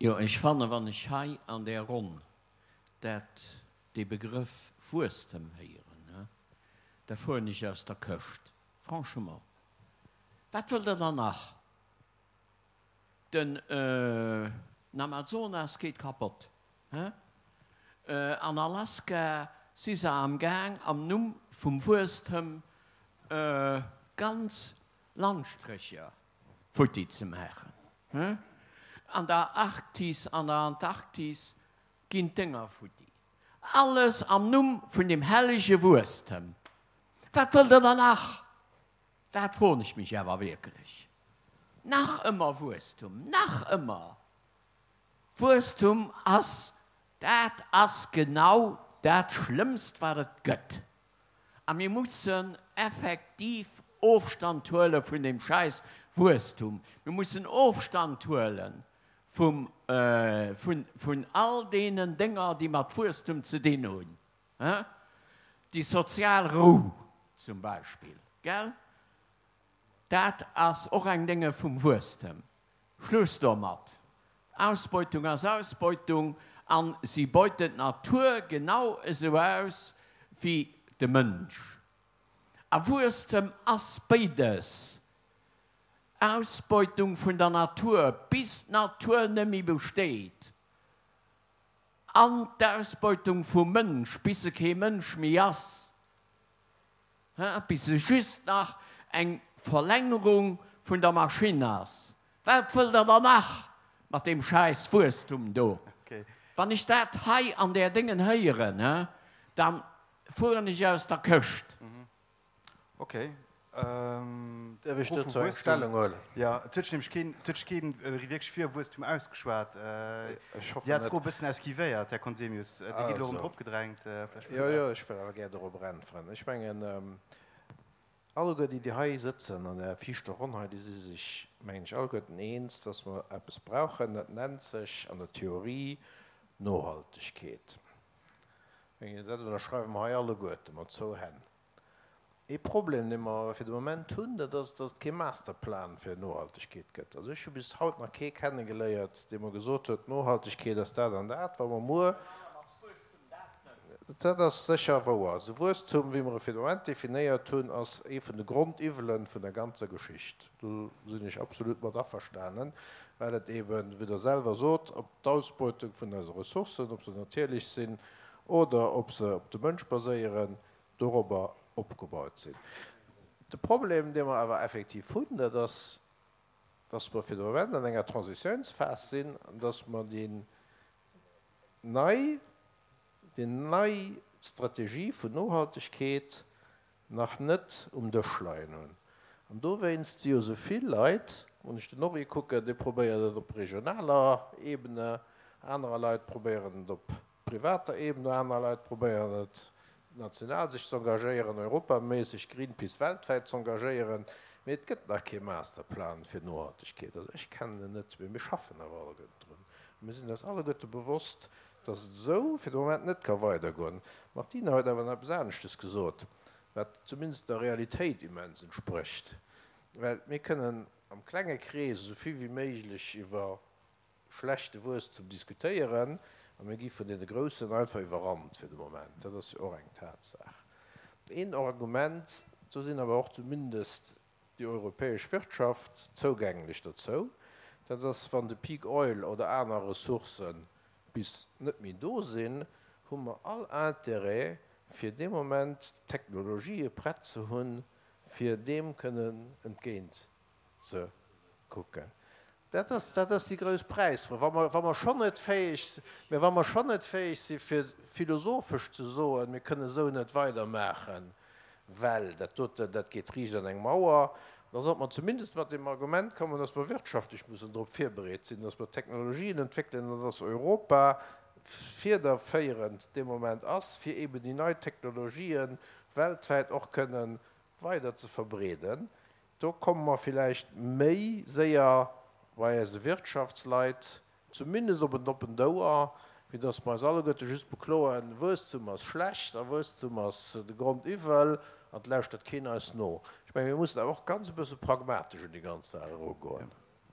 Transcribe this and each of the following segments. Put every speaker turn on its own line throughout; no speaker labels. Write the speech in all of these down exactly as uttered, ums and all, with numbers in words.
Jo, ech fannen, wann ech hei an där Ronn dat, dee Begrëff Wuesstem héieren, da fueren ech aus der Këscht. Franchement, wat wëllt Der dann nach? Den Amazonas geet kapott. An Alaska si se am Gaang, am Numm vum Wuesstem ganz Landstrécher futti ze maachen. An der Arktis, an der Antarktis ginn d'Dénger futti. Alles am Numm vun dem hellege Wuesstem. Wat wëllt Der dann nach? Dat froen ech mech awer wierklech. Nach ëmmer Wuesstum, nach ëmmer Wuesstum ass, dat ass genau dat Schlëmmst, wat et gëtt. A mir mussen effektiv Ofstand huele vun deem schäiss Wuesstum. Mir mussen Ofstand huele vum, vun, vun all deenen Dénger, déi mat Wuesstum ze dinn hunn. Déi sozial Rou zum Beispill, gell? Dat ass och eng Dénge vum Wuesstem. Schluss domat! Ausbeutung ass Ausbeutung a si beuten d'Natur genau esou aus wéi de Mënsch. A Wuesstem ass béides, Ausbeutung vun der Natur, bis d'Natur net méi besteet, an d'Ausbeutung vum Mënsch, bis e kee Mënsch méi ass. Bis e just nach eng Verlängerung vun der Maschinn ass. Wat wëllt Der dann nach mat deem schäiss Wuesstum do? Wann ech dat hei an där Déngen héieren, da fueren ech aus der Këscht.
Okay.
Däerf ech dozou eng Stellung huelen?
Jo, et huet sech nämlech keen, et huet sech keen wierklech fir Wuesstum ausgeschwat.
Ech hoffen
Dir hat
net.
d'Fro e bëssen esquivéiert, Här Conzemius. Dir gitt elo erëm
Also,
drop gedrängt. Vläch
jo, jo, ech wëll awer gär dorobber äntweren. Ech mengen, alleguer déi, déi hei sëtzen an där viischter Ronn hei, déi si sech, mengen ech, alleguerten eens, dass mer eppes brauchen, dat nennt sech an der Theorie Nohaltegkeet. Ech mengen, dat ënnerschreiwe mer hei alleguerte mat zwou Hänn. Ee Problem, dee mer awer fir de Moment hunn, dat ass, dass et kee Masterplan fir Nohaltegkeet gëtt. Also ech hu bis haut nach kee kennegeléiert, dee mer gesot huet, Nohaltegkeet ass dat an dat, wa mer muer. Dat ass sécher wouer. Also Wuesstum, wéi mer e fir de Moment definéiert hunn, ass ee vun de Grondiwwele vun der ganzer Geschicht. Do sinn ech absolut mat averstanen, well et eeben, wéi Der selwer sot, op d'Ausbeutung vun eise Ressourcen, ob se natierlech sinn oder ob se op de Mënsch baséieren, dorobber opgebaut sinn. De Problem, dee mer awer effektiv hunn, dat ass, dass mer fir de Moment an enger Transitiounsphas sinn an dass mer déi nei, déi nei Strategie vun Nohaltegkeet nach net um Dësch leien hunn. An dowéinst si jo esou vill Leit, wann ech den Henri kucken, dee probéiert et op regionaler Ebene, anerer Leit probéieren et op privater Ebene, aner Leit probéieren et national sech z'engagéieren, europaméisseg, Greenpeace weltwäit z'engagéieren, mee et gëtt nach kee Masterplan fir Nohaltegkeet. Also ech kennen en net, mee mir schaffen awer alleguerten drun. A mir sinn eis alleguerte bewosst, dass et esou fir de Moment net ka weidergoen. D'Martine huet awer nach eppes aneschtes gesot, wat zumindest der Realitéit immens entsprécht, well mir kënnen am klenge Krees esou vill wéi méiglech iwwer schlechte Wuesstum diskutéieren a mir gi vun deene Groussen einfach iwwerrannt fir de Moment. Dat ass jo och eng Tatsaach. Een Argument, do sinn awer och zumindest déi europäesch Wirtschaft zougänglech dozou, dat ass, wann de Peak Oil oder aner Ressourcë bis net méi do sinn, hu mer all Intérêt, fir dee Moment d'Technologië prett ze hunn, fir deem kënnen entgéint ze kucken. Dat ass, dat ass déi grouss Präisfro. Wa mer, wa mer schonn net fäeg, mä wa mer schonn net fäeg si fir philosophesch ze soen, mir kënnen esou net weidermaachen, well dat doten, dat geet riicht an eng Mauer, da sollte mer zumindest mat deem Argument kommen, dass mer wirtschaftlech mussen drop virbereet sinn, dass mer Technologien entwéckelen an dass Europa fiederféierend dee Moment ass, fir eben déi nei Technologien weltwäit och kënnen weider ze verbreeden. Do komme mer villäicht méi séier bei eise Wirtschaftsleit zumindest op en oppent Ouer, wéi datt mer eis alleguerte just bekloen, Wuesstum ass schlecht a Wuesstum ass de Grondiwwel an et lauschtert keen eis no. Ech mengen, mir mussen awer och ganz e bësse pragmatesch un déi ganz Saach erugoen.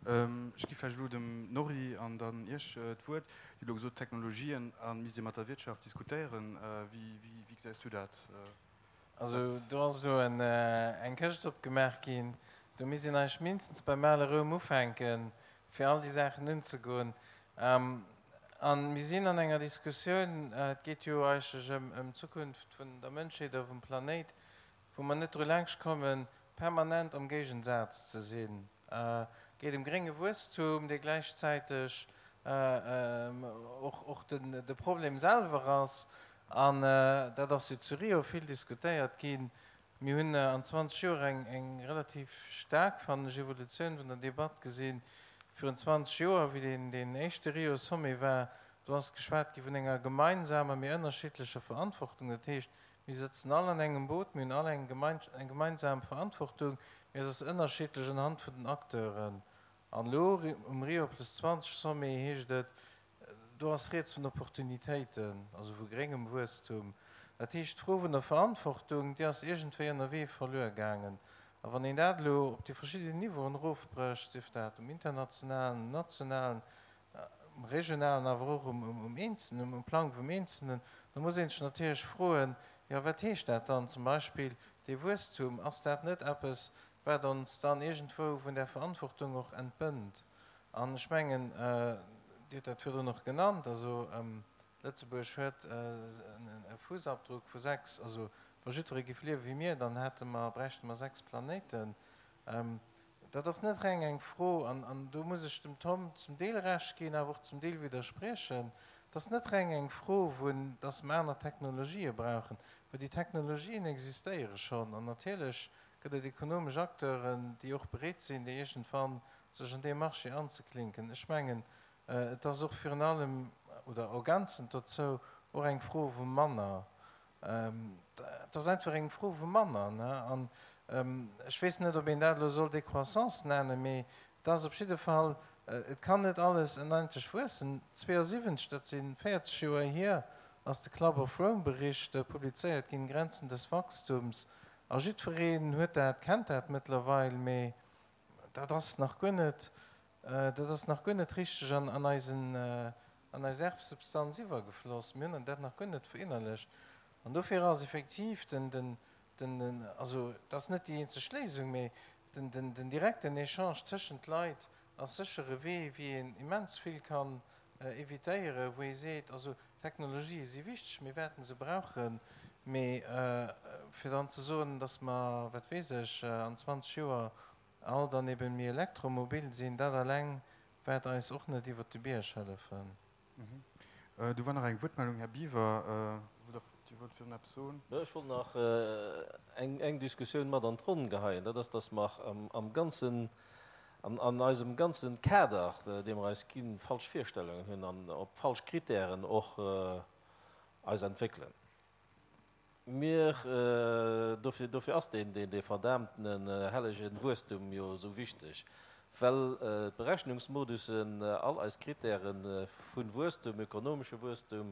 Ech gi vläicht elo dem Norry an dann Iech d'Wuert. Dir hutt elo gesot, Technologien a misst Dir mat der Wirtschaft diskutéieren. Wéi gesäis du dat?
Also do ass elo eng Këscht opgemaach ginn. Do misst een eigentlech mindestens beim ale Roum ufänken, fir all déi Saachen unzegoen. A mir sinn an enger Diskussioun, et geet jo eigentlech ëm d'Zukunft vun der Mënschheet a vum Planéit, wou mer net dru laanscht kommen, permanent am Géigensaz ze sinn. Et geet ëm grénge Wuesstum, dee gläichzäiteg och de Problem selwer ass. An dat ass jo zu Rio vill diskutéiert ginn. Mir hunn an zwanzeg Joer eng relativ staark, fannen ech, Evolutioun vun der Debatt gesinn. Virun zwanzeg Joer, wéi deen éischte Rio-Sommet war, do ass geschwat gi vun enger gemeinsamer, mee ënnerschiddlecher Verantwortung. Dat heescht, mir sëtzen all an engem Boot, mir hunn all eng gemeinsam Verantwortung, mee se ass ënnerschiddlech unhand vun den Acteuren. An elo um Rio plus zwanzeg Sommet heescht et, do ass rieds vun Opportunitéiten, also vu gréngem Wuesstum. Dat heescht, d'Fro vun der Verantwortung, déi ass iergendwéi ënnerwee verluer gaangen. A wann een dat elo op déi verschidden Niveauen erofbrécht, sief dat um internationalen, um nationalen, um regionalen, awer och um Eenzelnen, um Plang vum Eenzelnen, da muss ee sech natierlech froen, jo wat heescht dat dann zum Beispill, dee Wuesstum, ass dat net eppes, wat ons dann iergendwou vun där Verantwortung och entbënnt? An ech mengen, Dir hutt dat virdrun och genannt, also Lëtzebuerg huet e Fussabdruck vu sechs, also wa jiddweree géif liewe wéi mir, dann hätte mer, bräichte mer sechs Planéiten. Dat ass net reng eng Fro, an do muss ech dem Tom zum Deel Recht ginn, awer och zum Deel widderspriechen, et ass net reng eng Fro vun, dass mer aner Technologië brauchen, well déi Technologien existéiere schonn an natierlech gëtt et ekonomesch Acteuren, déi och bereet sinn, déi iergendwann sech an dee Marché anzeklinken. Ech mengen, et ass och virun allem, oder ergänzend dozou, och eng Fro vu manner. Et ass einfach eng Fro vu manner. An ech weess net, ob een dat elo soll Décroissance nennen, mee et ass op jidde Fall, et kann net alles onendlech wuessen. zweeënsiwwenzeg, dat si véierzeg Joer hier, ass de Club of Rome Bericht publizéiert ginn, Grenzen des Wachstums. A jiddwereen huet dat, kennt dat mëttlerweil, mee dat ass nach guer net, dat ass nach guer net richteg an eisen, an eis Erbsubstanz iwwergefloss. Mir hunn dat nach guer net verinnerlecht. An dofir ass effektiv den, den, den, also dat ass net déi eenzeg Léisung, mee den, den, den direkten Echange tëschent Leit ass sécher e Wee, wéi een immens vill kann evitéieren, wou ee seet, also Technologië si wichteg, mir wäerten se brauchen, mee fir dann ze soen, datt mer, wat weess ech, an zwanzeg Joer all dann eben méi elektromobil sinn, dat alleng wäert eis och net iwwert de Bierg hëllefen.
Do war nach eng Wuertmeldung, Här Biwer, Dir wollt virun eppes soen.
Jo, ech wollt nach eng Diskussioun mat an d'Ronn geheien. Dat ass, datt mer am ganzen, an eisem ganzen Kader, dee mer eis ginn, falsch Virstellungen hunn an op falsch Kritären och eis entwéckelen. Mir, dofir, dofir ass deen, deen, dee verdaamtenen hellegen Wuesstum jo esou wichteg, well d'Berechnungsmodussen, all eis Kritäre vu Wuesstum, ökonomesche Wuesstum,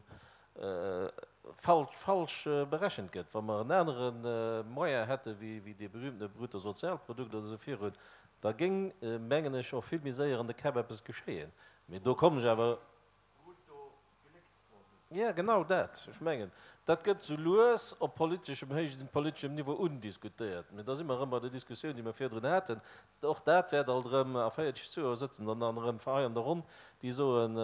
falsch, falsch berechent gëtt. Wa mer en anere Moyen hätte wéi, wéi dee berühmtene Bruttosozialprodukt oder esou virun, da géing, mengen ech, och vill méi séier an de Käpp eppes geschéien. Mee do kommen ech awer. Jo, genau dat. Ech mengen, dat gëtt sou lues op politeschem héijen politeschem Niveau undiskutéiert. Mee da si mer erëm bei der Diskussioun, déi mer virdrun haten. Och dat wäert alt erëm a véierzeg Joer sëtzen dann dann erëm hei an der Ronn, déi soen,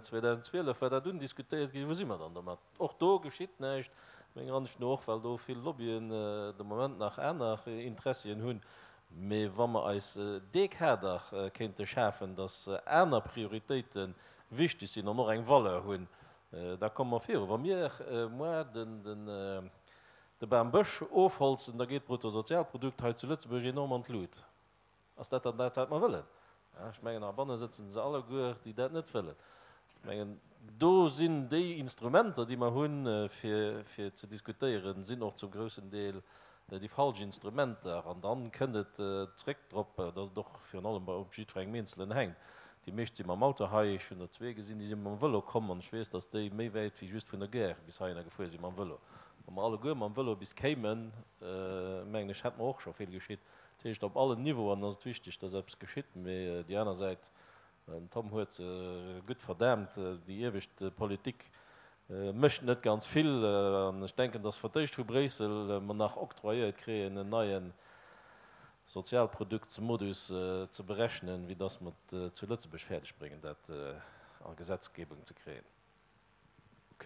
zweedausendzwielef war dat undiskutéiert ginn, wou si mer dann domat? Och do geschitt näischt, menger Ansicht no, och well do vill Lobbyen de Moment nach aner Interessien hunn. Mee wa mer eis dee Kader kéinte schafen, datt aner Prioritéite wichteg sinn an och eng Valeur hunn, da komme mer viru. Wa mir muer de Bam Bësch ofholzen, da geet d'Bruttosozialprodukt hei zu Lëtzebuerg enorm an d'Lut. Ass dat dann dat, wat mer wëllen? Ech mengen, heibanne sëtzen se alleguer, déi dat net wëllen. Ech mengen, do sinn déi Instrumenter, déi mer hunn, fir ze diskutéieren, sinn och zum groussen Deel déi falsch Instrumenter. An dann kënnt et zréck drop, dass et och virun allem bei op jiddwerengem Eenzelen hänkt. Déi meescht si mam Auto hei. Ech hunn der zwee gesinn, déi si mam Vëlo komm. An ech weess, dass déi méi wäit wéi just vun der Gare bis heihinner gefuer si mam Vëlo. Wa mer alleguer mam Vëlo bis kéimen, mengen ech, hätt mer och scho vill geschitt. Dat heescht, op allen Niveauen ass et wichteg, dass eppes geschitt. Mee déi aner Säit, den Tom huet se gutt verdaamt, déi iewescht Politik mécht net ganz vill. An ech denken, dass fir d'éischt vu Bréissel mer nach octroyéiert kréien, en neie Sozialproduktsmodus ze berechnen, wéi dass mer et zu Lëtzebuerg fäerdeg bréngen, dat a Gesetzgebung ze kréien.